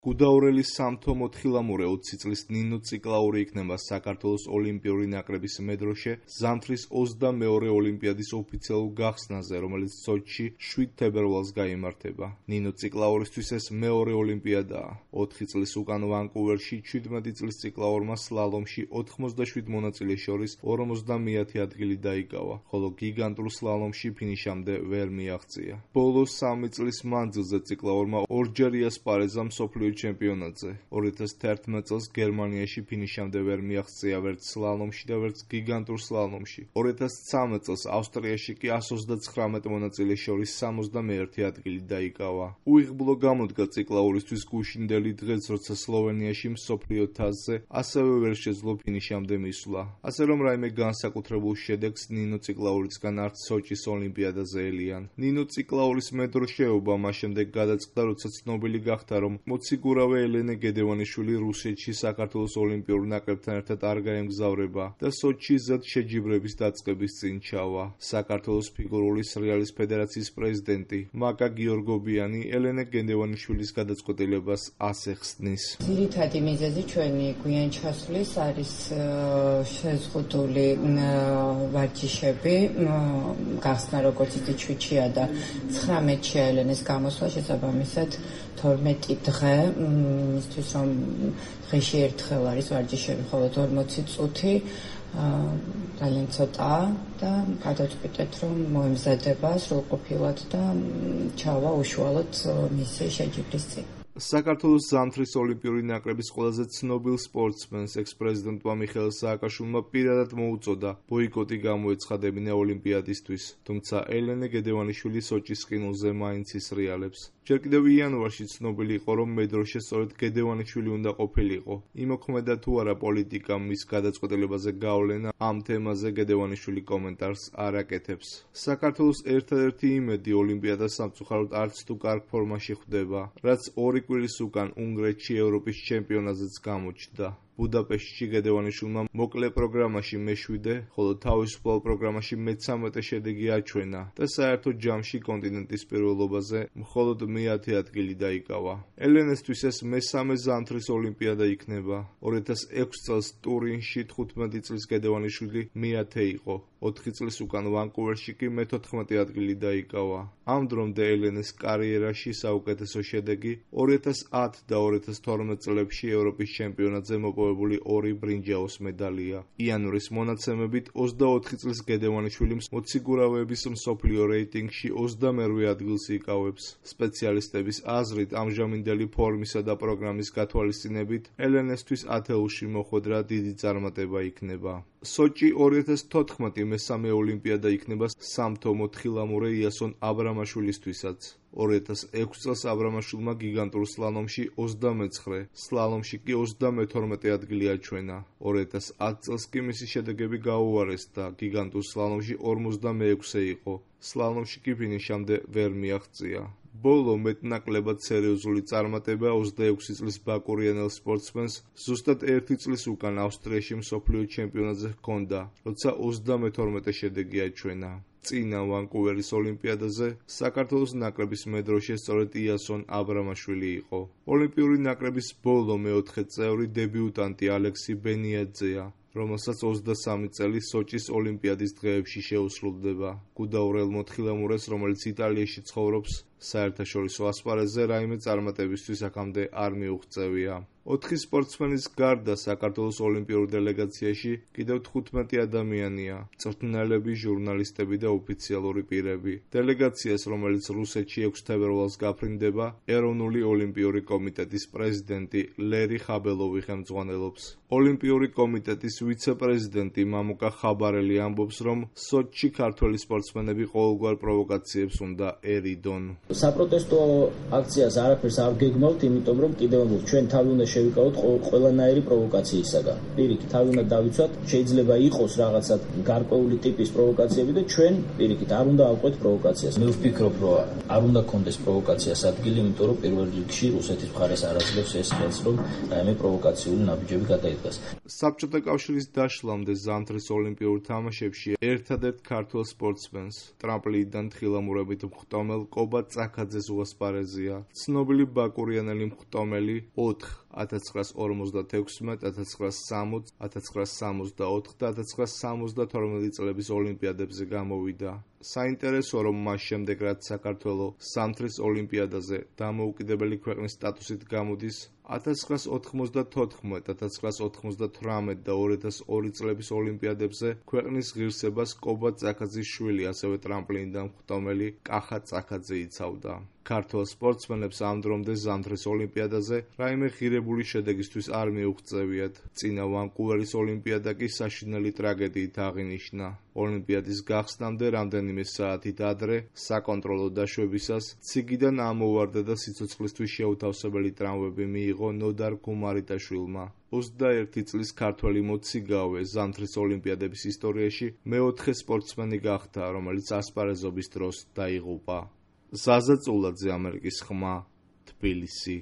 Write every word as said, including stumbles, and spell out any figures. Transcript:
გუდაურელი სამთო მოთხილამურე ოცი წლის ნინო ციკლაური იქნება საქართველოს ოლიმპიური ნაკრების მედროშე ზამთრის ოცდამეორე ოლიმპიადის ოფიციალურ გახსნაზე, რომელიც სოჩში შვიდ თებერვალს გაიმართება. ნინო ციკლაურისთვის ეს მეორე ოლიმპიადაა. ოთხი წლის უკან ვანკუვერში ჩვიდმეტი წლის ციკლაურმა სლალომში ოთხმოცდაშვიდ მონაწილეს შორის ორმოცდამეათე ადგილი დაიკავა, ხოლო გიგანტურ სლალომში ფინიშამდე ვერ მიაღწია. ბოლოს სამი წლის მანძილზე ციკლაურმა ორჯერ იასპარეზა მსოფლიო ჩემპიონატზე. ორი ათას თერთმეტ წელს გერმანიაში ფინიშამდე ვერ მიაღწია ვერც სლალომში და ვერც გიგანტურ სლალომში. ორი ათას ცხრამეტ წელს ავსტრიაში კი εκατს ოცდაცხრამეტ მონაწილეს შორის სამოცდამეერთე ადგილი დაიკავა. უიღბლო გამოდგა ციკლაურისთვის გუშინდელი დღეს, როცა სლოვენიაში მსოფლიო თასზე ასევე ვერ შეძლო ფინიშამდე მისვლა. ასე რომ რაიმე განსაკუთრებულ შედეგს ნინო ციკლაურისგან არც სოჩის ოლიმპიადაზე ელიან. ნინო ციკლაურის მედროშეობა მას შემდეგ გადაწყდა, როცა ცნობილი გახდა, რომ მოციგურავე ელენე გედევანიშვილი რუსეთში საქართველოს ოლიმპიურ ნაკრებთან ერთად არ გაემგზავრება და სოჩში ზედ შეჯიბრების დაწყების წინ ჩავა. საქართველოს ფიგურული სრიალის ფედერაციის პრეზიდენტი მაკა გიორგობიანი ელენე გედევანიშვილის გადაწყვეტილებას ასე ხსნის. ძირითადი მიზეზი ჩვენი გვიან ჩასვლის არის შეზღუდული ვარჯიშები, გახსნა როგორც იცით შვიდშია და ცხრამეტში ელენეს გამოსვლა, შესაბამისად თორმეტი დღე მისთვის რომ დღეში ერთხელ არის ვარჯიშები, მხოლოდ ორმოცი წუთი ძალიან ცოტაა და გადავწყვიტეთ, რომ მოემზადება სრულყოფილად და ჩავა უშუალოდ მისი შეჯიბრის წინ. საქართველოს ზამთრის ოლიმპიური ნაკრების ყველაზე ცნობილ სპორტსმენს, ექს-პრეზიდენტმა მიხეილ სააკაშვილმა პირადად მოუწოდა ბოიკოტი გამოეცხადებინა ოლიმპიადისთვის, თუმცა ელენე გედევანიშვილი სოჩის ყინულზე მაინც ისრიალებს. ჯერ კიდევ იანვარში ცნობილი იყო, რომ მედროშე სწორედ გედევანიშვილი უნდა ყოფილიყო. იმოქმედა თუ არა პოლიტიკამ მის გადაწყვეტილებაზე გავლენა, ამ თემაზე გედევანიშვილი კომენტარს არ აკეთებს. საქართველოს ერთადერთი იმედი ოლიმპიადას სამწუხაროდ არც თუ კარგ ფორმაში ხვდება, რაც ორი კვირის უკან უნგრეთში ევროპის ჩემპიონატზეც გამოჩნდა. ბუდაპეშტში გედევანიშვილმა მოკლე პროგრამაში მეშვიდე, ხოლო თავისუფალ პროგრამაში მეცამეტე შედეგი აჩვენა და საერთო ჯამში კონტინენტის პირველობაზე მხოლოდ მეათე ადგილი დაიკავა. ელენესთვის ეს მესამე ზამთრის ოლიმპიადა იქნება. ორი ათას ექვსი წელს ტურინში თხუთმეტი წლის გედევანიშვილი მეათე იყო. ოთხი წლის უკან ვანკუვერში კი მეთოთხმეტე ადგილი დაიკავა. ამ დრომდე ელენეს კარიერაში საუკეთესო შედეგი ორი ათას ათი და ორი ათას თორმეტ წლებში ევროპის ჩემპიონატზე მოპოვებული ორი ბრინჯაოს მედალია. იანვრის მონაცემებით ოცდაოთხი წლის გედევანიშვილი მოციგურავეების მსოფლიო რეიტინგში ოცდამერვე ადგილს იკავებს. სპეციალისტების აზრით, ამჟამინდელი ფორმისა და პროგრამის გათვალისწინებით, ელენესთვის ათეულში მოხვედრა დიდი წარმატება იქნება. სოჩი ორი ათას თოთხმეტი მესამე ოლიმპიადა იქნება სამთო მოთხილამურე იასონ აბრამაშვილისთვისაც. ორი ათას ექვსი წელს აბრამაშვილმა გიგანტურ სლალომში ოცდამეცხრე, სლალომში კი ოცდამეთორმეტე ადგილი აჩვენა. ორი ათას ათი წელს კი მისი შედეგები გაუარეს და გიგანტურ სლალომში ორმოცდამეექვსე იყო, სლალომში კი ფინიშამდე ვერ მიაღწია. ბოლო მეტნაკლებად სერიოზული წარმატება ოცდაექვსი წლის ბაკურიანელ სპორტსმენს ზუსტად ერთი წლის უკან ავსტრიაში მსოფლიო ჩემპიონატზე ჰქონდა, როცა ოცდამეთორმეტე შედეგი აჩვენა. წინა ვანკუვერის ოლიმპიადაზე საქართველოს ნაკრების მედროშე სწორედ იასონ აბრამაშვილი იყო. ოლიმპიური ნაკრების ბოლო მეოთხე წევრი დებიუტანტი ალექსი ბენიაძეა, რომელსაც ოცდასამი წელი სოჩის ოლიმპიადის დღეებში შეუსრულდება. გუდაურელ მოთხილამურეს, რომელიც იტალიაში ცხოვრობს, საერთაშორისო ასპარეზზე რაიმე წარმატებისთვის აქამდე არ მიუღწევია. ოთხი სპორტსმენის გარდა საქართველოს ოლიმპიურ დელეგაციაში კიდევ თხუთმეტი ადამიანია, მწვრთნელები, ჟურნალისტები და ოფიციალური პირები. დელეგაციას, რომელიც რუსეთში ექვსი თებერვალს გაფრინდება, ეროვნული ოლიმპიური კომიტეტის პრეზიდენტი ლერი ხაბელოვი ხელმძღვანელობს. ოლიმპიური კომიტეტის ვიცე-პრეზიდენტი მამუკა ხაბარელი ამბობს, რომ სოჩში ქართველი სპორტსმენები ყოველგვარ პროვოკაციებს უნდა ერიდონ. საპროტესტო აქციას არაფერს არ გეგმავთ, იმიტომ რომ კიდევ ჩვენ თავი უნდა შევიკავოთ ყველანაირი პროვოკაციისაგან. პირიქით, თავი უნდა დავიცვათ, შეიძლება იყოს რაღაცა გარკვეული ტიპის პროვოკაციები და ჩვენ პირიქით არ უნდა ავყვეთ პროვოკაციას. მე ვფიქრობ, რომ არ უნდა კონდეს პროვოკაციას ადგილი, იმიტომ რომ პირველ რიგში რუსეთის მხარეს არ აძლევს ეს ხელს, რომ რაიმე პროვოკაციული ნაბიჯები გადაიდგას. საბჭოთა კავშირის დაშლამდე ზამთრის ოლიმპიურ თამაშებში ერთადერთ ქართველ სპორტსმენს, ტრამპლინიდან თხილამურებით მხტომელ კობა წაქაძეს უასპარეზია. ცნობილი ბაკურიანელი მხტომელი ოთხ ათას ცხრაას ორმოცდათექვსმეტ, ათას ცხრაას სამოცდ, ათას ცხრაას სამოცდაოთხ და ათას ცხრაას სამოცდათორმეტ წლების ოლიმპიადებზე გამოვიდა. საინტერესოა, რომ მას შემდეგ, რაც საქართველოს სამთრის ოლიმპიადაზე დამოუკიდებელი ქვეყნის სტატუსით გამოდის, ათას ცხრაას ოთხმოცდათოთხმეტ, ათას ცხრაას ოთხმოცდათვრამეტ და ორი ათას ორი წლების ოლიმპიადებზე ქვეყნის ღირსებას კობა წაქაძის შვილი, ასევე ტრამპლინიდან მხტომელი კახა წაქაძე იცავდა. ქართველ სპორტსმენებს ამ დრომდე ზამთრის ოლიმპიადაზე რაიმე ღირებული შედეგისთვის არ მიუღწევიათ. წინა ვანკუვერის ოლიმპიადა კი საშინელი ტრაგედიით აღინიშნა. ოლიმპიადის გახსნამდე რამდენიმე საათით ადრე, საკონტროლო დაშვებისას, ციგიდან ამოვარდა და სიცოცხლისთვის შეუთავსებელი ტრავმები მიიღო ნოდარ გუმარიტაშვილმა. ოცდაერთი წლის ქართველი მოციგავე ზამთრის ოლიმპიადების ისტორიაში მეოთხე სპორტსმენი გახდა, რომელიც ასპარეზობის დროს დაიღუპა. ზაზა წულაძე, ამერიკის ხმა, თბილისი.